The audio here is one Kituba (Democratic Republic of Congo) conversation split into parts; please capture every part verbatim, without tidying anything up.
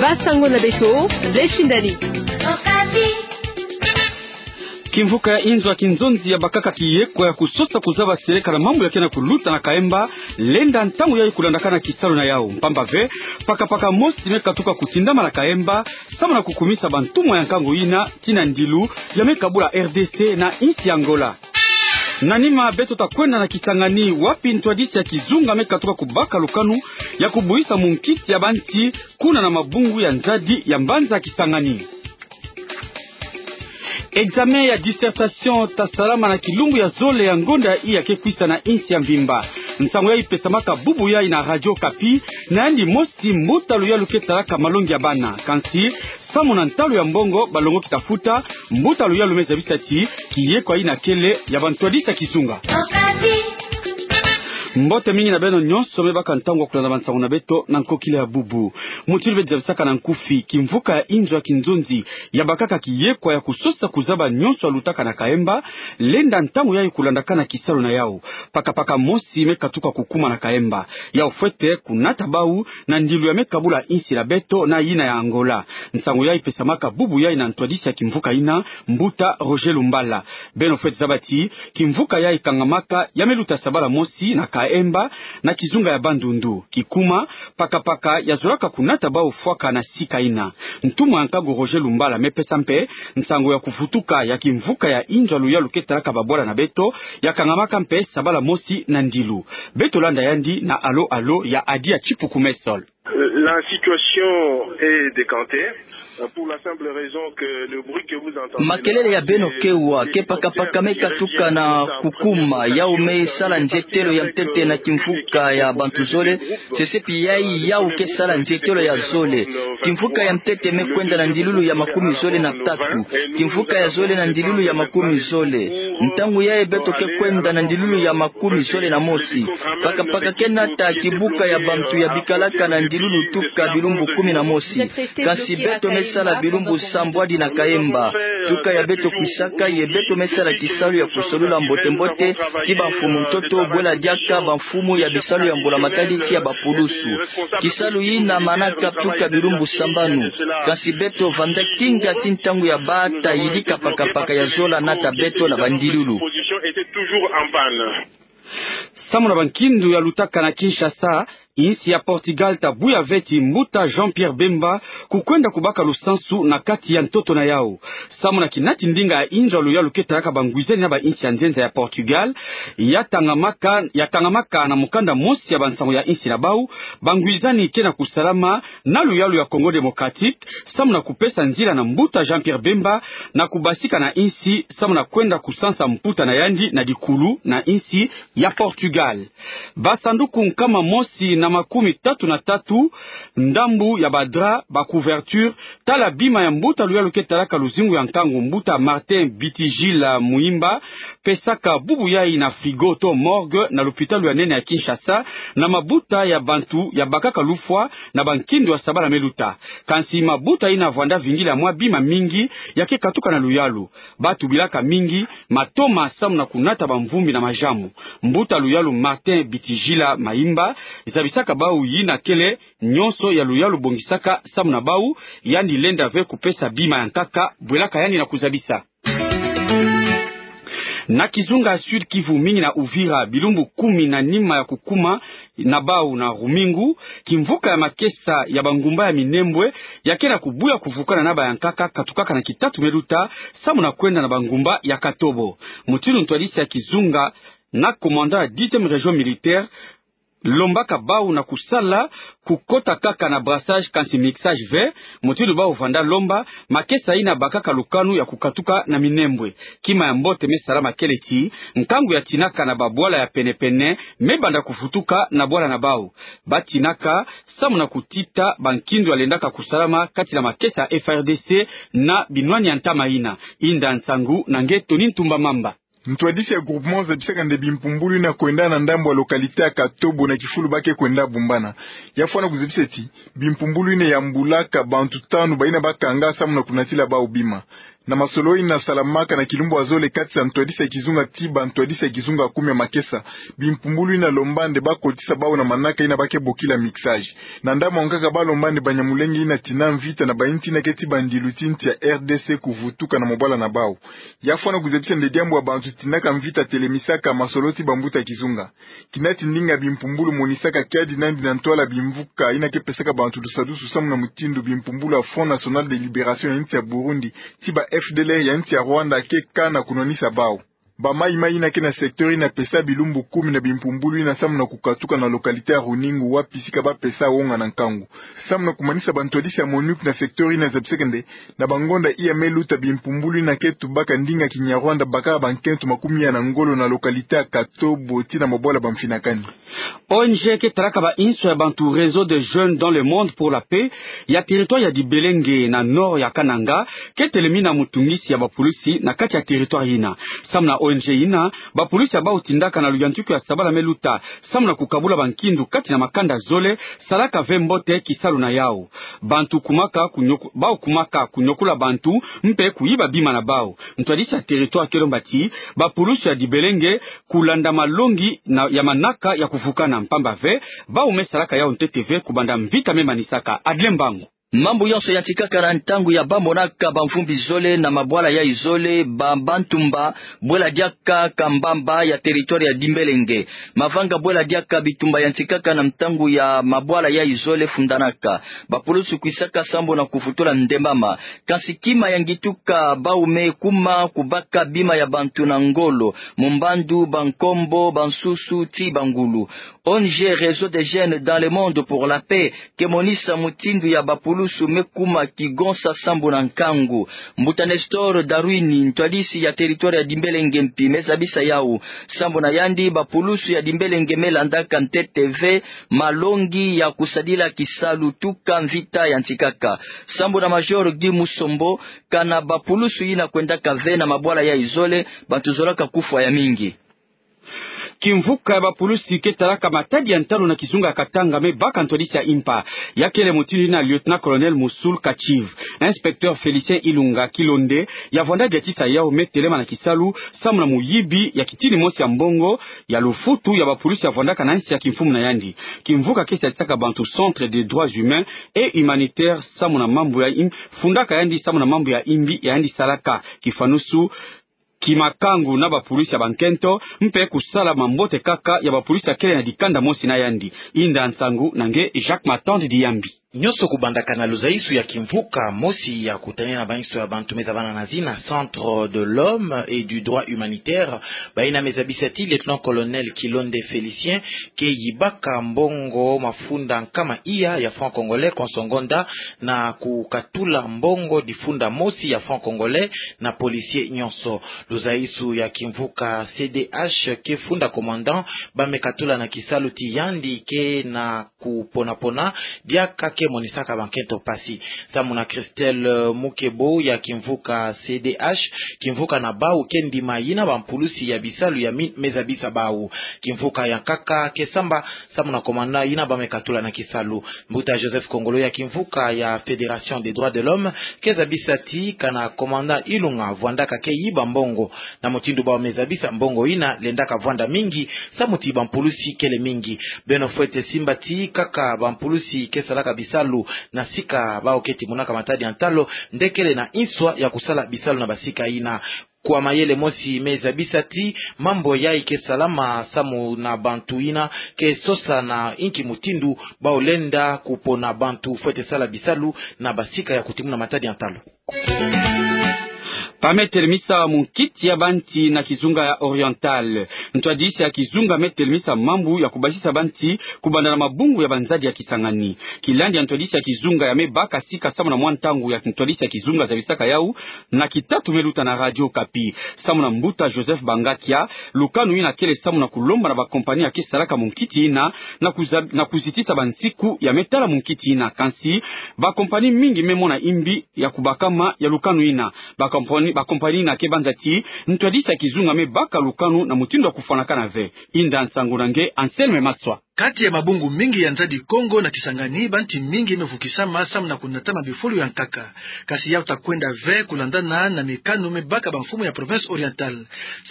Basango na beto, Lechindani. Kimvuka ya inzo ya kinzonzi yabakaka kiyekwa ya kusosa kuzaba seleka na mambu ya kena kuluta na Kaemba, lenda ntangu yayi kulandakana kisalu na yau. Mpamba ve, pakapaka mosi me katuka kutindama na Kaemba, samu na kukumisa bantumwa ya nkangu yina, tii na ndilu ya me kabula R D C na insi ya Angola. Na nima beto ta kwenda na Kisangani, wapi ntwadisi ya kizunga me katuka kubaka lukanu ya kubuisa munkisi ya banti kuna na mabungu ya nzadi ya mbanza Kisangani. Examen ya dissertation ta salama na kilumbu ya zole ya ngonda iya ke kwisa na insi ya mvimba. Nsangu yayi pesamaka bubu yayi na Radio Okapi, na yandi mosi mbuta luyalu ke talaka malongi ya bana. Kansi, samu na ntalu ya mbongo balongoki ta futa, mbuta luyalu me zabisa ti kiyekwa yina kele ya bantwadisi ya kizunga. Mbote mingi na beno nyonso me baka ntangu ya kulanda bansangu na beto na nkokila ya bubu. Mutindu beto zabisaka na nkufi, kimvuka ya inzo ya kinzonzi yabakaka kiyekwa ya kusosa kuzaba nyonso yalutaka na Kaemba, lenda ntangu yayi kulandakana kisalu na yau. Pakapaka mosi me katuka kukuma na Kaemba. Yau fwete kunata bau na ndilu ya me kabula insi na beto na yina ya Angola. Nsangu yayi pesamaka bubu yayi na ntwadisi ya kimvuka yina, mbuta Roger Lumbala. Beno fwete zaba ti kimvuka yayi kangamaka ya me luta sabala mosi na Kaemba, na kizunga ya Bandundu. Kikuma, pakapaka yazolaka kunata bau fwaka na sika yina. Ntumwa ya nkangu Roger Lumbala me pesa mpe nsangu ya kuvutuka ya kimvuka ya inzo ya luyalu ke talaka babwala na beto, ya kangamaka mpe sabala mosi na ndilu. Beto landa yandi na Allô Allô ya Adia Tshipuku Messol. La situation est décantée, euh, pour la simple raison que le bruit que vous entendez là, makelele ya beno kewa ke pakapaka me katuka na kukuma, yau me sala nzietelo ya ntete na kimvuka ya bantu zole, sesepi yayi yau ke sala nzietelo ya zole. Kimvuka ya ntete me kwenda na ndilulu ya makumi zole na tatu. Kimvuka ya zole na ndilulu ya makumi zole. Ntangu yayi beto ke kwenda na ndilulu ya makumi zole na mosi. Pakapaka ke nata kibuka ya bantu ya bikalaka na ndilulu tuka bilumbu kumi na mosi. Kansi beto me sala bilumbu sambwadi na Kaemba. Tuka ya beto kwisaka ye beto me sala kisalu ya kusolula mbote-mbote ti bamfumu ntoto, bwela diaka bamfumu ya bisalu ya mbula matadi ti ya bapulusu. Kisalu yina manaka tuka bilumbu sambanu. Kansi beto vanda kinga ti ntangu ya bata yidika pakapaka ya zola nata beto na bandilulu. Samu na bankindu yalutaka na Kinshasa, insi ya Portugal ta buya ve ti mbuta Jean-Pierre Bemba kukwenda kubaka lusansu na kati ya ntoto na yau. Samu na kinati ndinga ya inzo ya luyalu ke talaka bangwizani na bainsi ya nzenza ya Portugal, ya tangamaka, ya tangamaka na mukanda mosi ya bansangu ya insi na bau, bangwizani ke na kusalama na luyalu ya Congo Démocratique, samu na kupesa nzila na mbuta Jean-Pierre Bemba na kubasika na insi, samu na kwenda kusansa mputa na yandi na dikulu na insi ya Portugal. Basanduku nkama mosi na makumi tatu na tatu, ndambu ya badrap, bacouverture, tala bima ya mbuta luyalu ke talaka luzingu ya nkangu, mbuta Martin Bitigila Muimba, pesaka bubu yayi na frigo to morgue na lupitalu ya nene ya Kinshasa, na mabuta ya bantu yabakaka lufwa na bankindu ya sabala me luta. Kansi mabuta yina vwanda vingila mwa bima mingi ya ke katuka na luyalu. Batu bilaka mingi matoma samu na kunata bamvumbi na majamu. Mbuta luyalu Martin Bitigila Muimba zabisaka bau yina kele nyonso ya luyalu bongisaka samu na bau, yandi lenda ve kupesa bima ya nkaka, bwelaka yandi na kuzabisa. Na kizunga Sud-Kivu, mingi na Uvira, bilumbu kumi na nima ya kukuma na bau na Rumingu, kimvuka ya makesa ya bangumba ya Minembwe ya ke na kubuya kuvukana na bayankaka katukaka na kitatu me luta, samu na kwenda na bangumba ya Katobo. Mutindu ntwadisi ya kizunga na commandant ya dixième région militaire, lombaka bau na kusala, kukota kaka na brassage kansi mixage ve, mutindu bau vanda lomba, makesa yina bakaka lukanu ya kukatuka na Minembwe. Kima ya mbote me salama kele ti nkangu ya tinaka na babwala ya pene-pene me banda kuvutuka na bwala na bau. Ba tinaka samu na kutita bankindu ya lendaka kusalama kati na makesa ya F A R D C na binwani ya ntama yina. Inda nsangu na nge Tony Ntumba Mamba. Ntwadisi ya groupement zabisaka nde bimpumbulu yina kwenda na ndambu ya localité ya Katobo na kifulu ba ke kwenda bumbana. Ya fwana kuzabisa ti bimpumbulu yina yambulaka bantu tanu bayina bakanga samu na kunatila bau bima. Na masolo yina salamaka na kilumbu ya zole kati ya ntwadisi ya kizunga tii bantwadisi ya kizunga kumi ya makesa, bimpumbulu yina lomba nde bakotisa bawu na manaka yina ba ke bokila mixage. Na ndambu yankaka balomba nde banyamulenge yina tina mvita na bainti yina ke tii bandilu ti nsi ya R D C kuvutuka na mabwala na bawu. Ya fwana kuzabisa nde diambu ya bantu tinaka mvita telemisaka masolo ti bambuta kizunga. Kina ti ndinga bimpumbulu monisaka kiadi nandi na ntwala bimvuka yina ke pesaka bantu lusadusu samu na mutindu bimpumbulu ya Front National de Liberation ya nsi ya Burundi, tii ba F D L R ya nsi ya Rwanda ke kana kunwanisa bawu. Bamayi-mayi yina ke na secteur yina pesa bilumbu kumi na bimpumbulu yina samu na kukatuka na localité ya Runingu wapi sika ba pesa wonga na nkangu. Samu na kumanisa bantwadisi ya MONUC na secteur yina zabisaka nde, na bangonda iya me luta bimpumbulu yina ke tubaka ndinga kinyarwanda bakaka bankento makumi ya na ngolo na localité ya Katobo tii na mabwala bamfinakani. O N G ke talaka ba inso ya bantu Réseau des Jeunes dans le Monde pour la Paix ya territoire ya Dibelenge na nord ya Kananga, ke telemina mutungisi ya bapulusi na kati ya territoire yina. Samu na O N G yina, bapulusi ya bawu tindaka na luyantiku ya sabala me luta, samu na kukabula bankindu kati na makanda zole, salaka ve mbote kisalu na yawu. Bantu kumaka kunyoku-, bawu kumaka kunyokula bantu, mpe kuyiba bima na bawu. Ntwadisi ya territoire ke lomba ti bapulusi ya Dibelenge kulanda malongi na, ya manaka ya kuvukana mpamba ve, bawu me salaka yawu ntete ve kubanda mvita me manisaka. Adle Mbangu. Mambu yonso yantikaka na ntangu ya ba monaka bamvumbi zole na mabwala yayi zole, ba, ba ntumba, bwela diaka Kambamba ya territoire ya Dimbelenge. Mavanga bwela diaka bitumba yantikaka na ntangu ya mabwala yayi zole fundanaka. Bapulusu kwisaka sambu na kuvutula ndembama. Kansi kima ya ngituka bawu me kuma kubaka bima ya bantu na ngolo, mumbandu, bankombo, bansusu, tii bangulu. O N G Réseau des Jeunes dans le Monde pour la Paix ke monisa mutindu ya bapulusu me kuma kigonsa sambu na nkangu. Mbuta Nestor Darwin, ntwadisi ya territoire ya Dimbelenge mpi, me zabisa yawu. Sambu na yandi, bapulusu ya Dimbelenge me landaka ntete ve malongi ya kusadila kisalu tuka mvita yantikaka. Sambu na Major Guy Musombo, kana bapulusu yina kwendaka ve na mabwala yayi zole, bantu zolaka kufwa ya mingi. Kimvuka ya bapulusi ke talaka matadi ya ntalu na kizunga ya Katanga me baka ntwadisi ya impa. Ya kele mutindu yina Lieutenant-colonel Moussoul Kachiv. Inspecteur Félicien Ilunga Kilonde, ya vwanda diatisa yawu, me telema na kisalu samu na muyibi ya kitini mosi ya mbongo ya lufutu ya bapulusi ya vwandaka na nsi ya kimfumu na yandi. Kimvuka ke sadisaka bantu Centre des Droits Humains et Humanitaires samu na mambu ya im-, fundaka yandi samu na mambu ya imbi ya yandi salaka. Kifanusu, kimakangu na bapulusi ya bankento, mpe kusala mambote kaka ya bapulusi ya kele na dikanda mosi na yandi. Inda nsangu na nge Jacques Matandi Diyambi. Nyonso kubandaka na luzaisu ya kimvuka mosi ya kutanina bainso ya bantu me zabana na zina Centre de l'Homme et du Droit Humanitaire, bayina me zabisa ti Lieutenant-colonel Kilonde Félicien ke yibaka mbongo mafunda nkama iya ya franc congolais konso ngonda, na kukatula mbongo difunda mosi ya franc congolais na policier nyonso. Luzaisu ya kimvuka C D H ke funda commandant ba me katula na kisalu ti yandi ke na kupona-pona diaka ke monisaka bankento mpasi. Samu na Christelle Mukebo ya kimvuka C D H, kimvuka na bawu ke ndima yina bampulusi ya bisalu ya mine me zabisa bawu. Kimvuka ya nkaka ke samba samu na commandant yina ba me katula na kisalu. Mbuta Joseph Kongolo ya kimvuka ya Fédération des Droits de l'Homme ke zabisa ti kana commandant Ilunga vwandaka ke yiba mbongo. Na mutindu bawu me zabisa, mbongo yina lendaka vwanda mingi samu ti bampulusi kele mingi. Beno fwete simba ti kaka bampulusi ke salaka bisalu na sika bawu ke timonaka matadi ya ntalu nde kele na inswa ya kusala bisalu na basika yina. Kwa mayele mosi me zabisa ti mambu yayi ke salama samu na bantu yina ke sosa na inki mutindu bawu lenda kupona bantu fwete sala bisalu na basika ya kutimuna matadi ya ntalu. Ba me telemisa munkiti ya banti na kizunga ya Oriental. Ntwadisi ya kizunga me telemisa mambu ya kubasisa banti kubanda na mabungu ya banzadi ya Kisangani. Kilandi ya ntwadisi ya kizunga ya me baka sika samu na mwa ntangu ya ntwadisi ya kizunga zabisaka yawu, na kitatu me luta na Radio Okapi. Samu na mbuta Joseph Bangakia, lukanu yina kele samu na kulomba na bakompani ya ke salaka munkiti yina na kuza-, na kuzitisa bansiku ya me tala munkiti yina. Kansi bakompani mingi me mona imbi ya kubakama ya lukanu yina. Bakompani, bakompani yina ke banza ti ntwadisi ya kizunga me baka lukanu na mutindu ya kufwanakana ve. Inda nsangu na nge Anselme Maswa. Kati ya mabungu mingi ya nzadi Kongo na Kisangani, banti mingi me vukisama samu na kunatama bifulu ya nkaka. Kasi yau ta kwenda ve kulandana na mikanu me baka bamfumu ya province Orientale.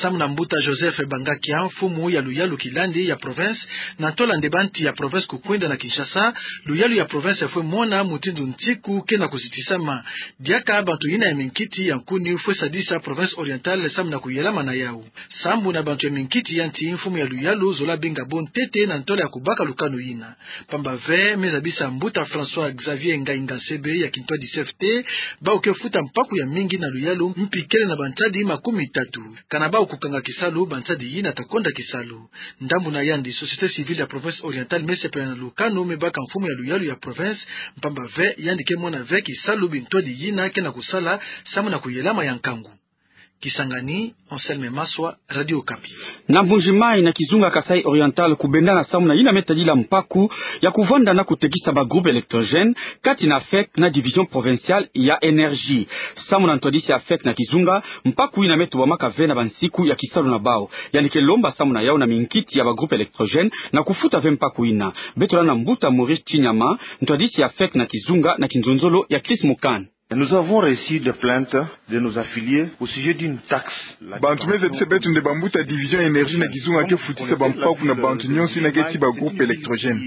Samu na mbuta Joseph Bangakia, mfumu ya luyalu kilandi ya province, na ntola nde banti ya province kukwenda na Kinshasa, luyalu ya province fwe mona mutindu ntiku kena kuzitisama. Diaka bantu yina ya minkiti ya nkuni fwe sadisa province Orientale samu na kuyelama na yau. Sambu na bantu ya minkiti ya nti, mfumu ya luyalu zola binga bo ntete na ntola ya kubaka lukanu yina. Pamba ve, me zabisa mbuta François Xavier Ngainga Nsebe ya kintwadi C F T, bau ke futa mpaku ya mingi na luyalu mpi kele na bantadi makumi tatu. Kana bau kukanga kisalu, bantadi yina ta konda kisalu. Ndambu na yandi, société civile ya province Orientale me sepela na lukanu me baka mfumu ya luyalu ya province, pamba ve yandi ke mona ve kisalu bintwadi yina kena kusala samu na kuyelama ya nkangu. Kisangani, Anselme Maswa, Radio Okapi. Na Mbuji-Mayi na kizunga Kasaï Oriental kubendana samu na yina me tadila mpaku ya kuvanda na kutekisa ba groupe électrogène kati na AFEC na division provinciale ya énergie. Samu na ntwadisi ya AFEC na kizunga, mpaku yina me tubamaka ve na bansiku ya kisalu na bau. Yandi ke lomba samu na yau na minkiti ya ba groupe électrogène na kufuta ve mpaku yina. Beto landa mbuta Maurice Chinyama, ntwadisi ya AFEC na kizunga na kinzonzolo ya Chris Mukand. Nous avons reçu des plaintes de nos affiliés au sujet d'une taxe. Bantu me zabisa beto nde bambuta division énergie na kizunga ke futisa bampaku na bantu nyonso yina ke tii ba groupe électrogène.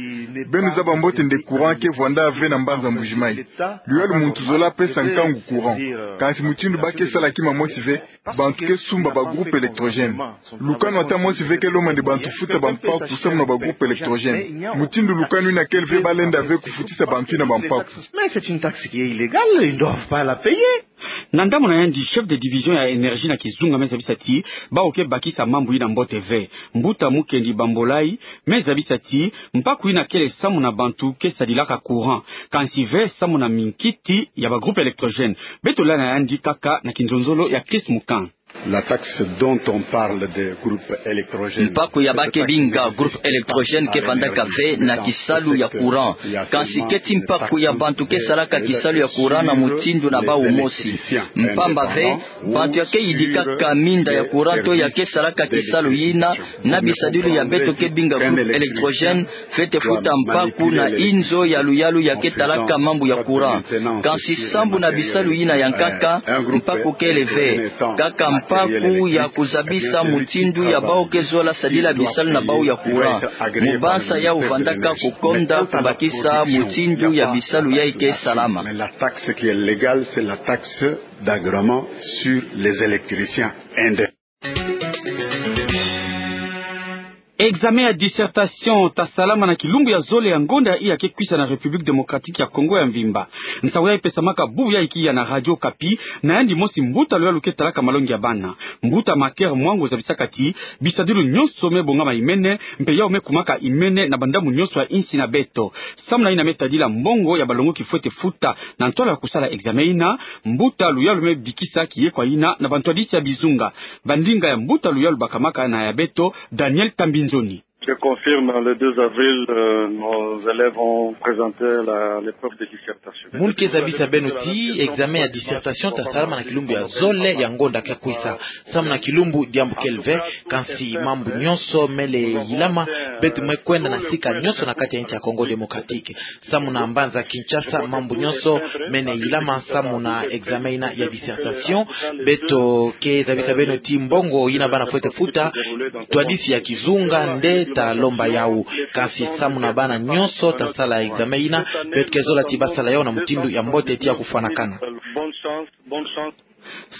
Beno zaba mbote nde courant ke vwanda ve na mbanza Mbuji-Mayi. Luyalu muntu zola pesa nkangu courant. Kansi mutindu ba ke sala kima mosi ve, bantu ke sumba ba groupe électrogène. Lukanu ata mosi ve ke lomba nde bantu futa bampaku samu na ba groupe électrogène. Mutindu lukanu yina kele ve, ba lenda ve kufutisa bantu yina bampaku. Mais c'est une taxe qui est illégale, ils ne doivent pas la payer. Na ndambu na yandi, chef de division ya énergie na kizunga me zabisa ti bau ke bakisa mambu yina mbote ve. Mbuta Mukendi Bambolai me zabisa ti mpaku yina kele samu na bantu ke sadilaka courant, kansi ve samu na minkiti ya ba groupe électrogène. Beto landa yandi kaka na kinzonzolo ya Chris Mukand. La taxe dont on parle de groupe électrogène. Mpaku ya ba ke binga groupe électrogène ke vandaka ve na kisalu ya courant. Kansi ke tii mpaku ya bantu ke salaka kisalu ya courant na mutindu na bau mosi. Mpamba ve, bantu ya ke yidikaka minda ya courant to ya ke salaka kisalu yina, na bisadilu ya beto ke binga groupe électrogène, fwete futa mpaku na inzo ya luyalu ya ke talaka mambu ya courant. Kansi sambu na bisalu yina ya nkaka, mpaku kele ve. Kaka mpaku ya kuzabisa mutindu ya bau ke zola sadila bisalu na bau ya courant. Mu bansa yau vandaka kukonda kubakisa mutindu ya bisalu yayi ke salama. Mais la taxe qui est légale, c'est la taxe d'agrément sur les électriciens. Examen ya dissertation ta salama na kilumbu ya zole ya ngonda yayi ya ke kwisa na République Démocratique ya Congo ya mvimba. Nsangu yayi pesamaka bubu yayi kiya na Radio Okapi, na yandi mosi mbuta luyalu ke talaka malongi ya bana, mbuta Maker Mwango, zabisaka ti bisadilu nyonso me bongama imene, mpe yau me kumaka imene na bandambu nyonso ya insi na beto. Samu na yina me tadila mbongo ya balongoki fwete futa na ntwala ya kusala examen yina, mbuta luyalu me bikisa kiyekwa yina na bantwadisi ya bizunga. Bandinga ya mbuta luyalu bakamaka na ya beto, Daniel Tambinzoni. Je confirme, le deux avril, euh, nos élèves ont présenté la, l'épreuve de dissertation. Munu ke zabisa beno ti examen ya dissertation ta salama na kilumbu ya zole ya ngonda ke kwisa. Samu na kilumbu diambu kele ve, kansi mambu nyonso mele yilama, beto me kwenda na sika nyonso na kati ya insi ya Congo Démocratique. Samu na mbanza Kinshasa, mambu nyonso mene yilama samu na examen yina ya dissertation. Beto ke zabisa beno ti mbongo yina bana fwete futa, ntwadisi ya kizunga nde ta lomba yau. Kansi samu na bana nyonso ta sala examen yina, beto ke zola ti ba sala yau na mutindu ya mbote ti ya kufwanakana. Bonne chance, bonne chance.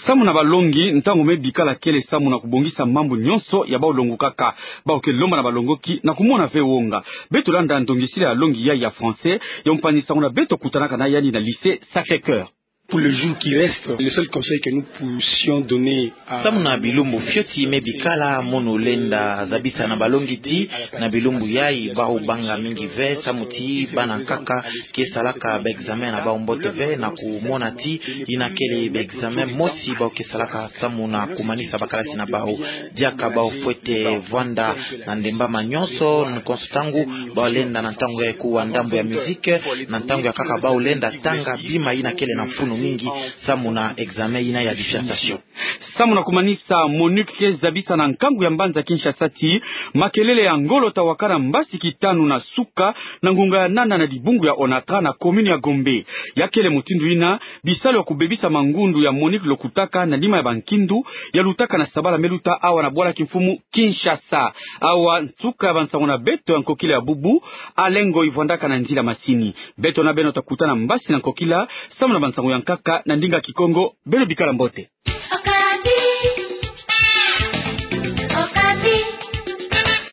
Samu na balongi, ntangu me bikala kele samu na kubongisa mambu nyonso ya bau longukaka. Bau ke lomba na balongoki na kumona ve wonga. Beto landa ndongisila ya longi yayi ya français ya mpangi-nsangu na beto kutanaka na yandi na lycée Sacré-Cœur. Pour les jours qui restent, le seul conseil que nous puissions donner à... Samu na bilumbu fioti me bikala, munu lenda zabisa na balongi ti na bilumbu yayi bau banga mingi ve, samu ti bana nkaka ke salaka ba examen na bau mbote ve, na kumona ti yina kele ba examen mosi bau ke salaka samu na kumanisa ba kalasi na bau. Diaka bau fwete vwanda na ndembama nyonso, konso ntangu bau lenda na ntangu ya kuwa ndambu ya musique, na ntangu ya nkaka bau lenda tanga bima yina kele na mfunu. mingi samu na examen yina ya dissertation. Samu na kumanisa, MONUC ke zabisa na nkangu ya mbanza Kinshasa ti makelele ya ngolo tawakana mbasi kitanu na suka na ngunga ya nana na dibungu ya Onatra na commune ya Gombe. Ya kele mutindu yina bisalu ya kubebisa mangundu ya MONUC lokutaka na lima ya bankindu ya lutaka na sabala me luta awa na bwala kimfumu Kinshasa. Awa nsuka ya bansangu na beto ya nkokila ya bubu. Alengo ivwandaka na nzila masini. Beto na beno takutana mbasi na nkokila samu na bansangu ya nkaka na ndinga Kikongo. Beno bikala mbote.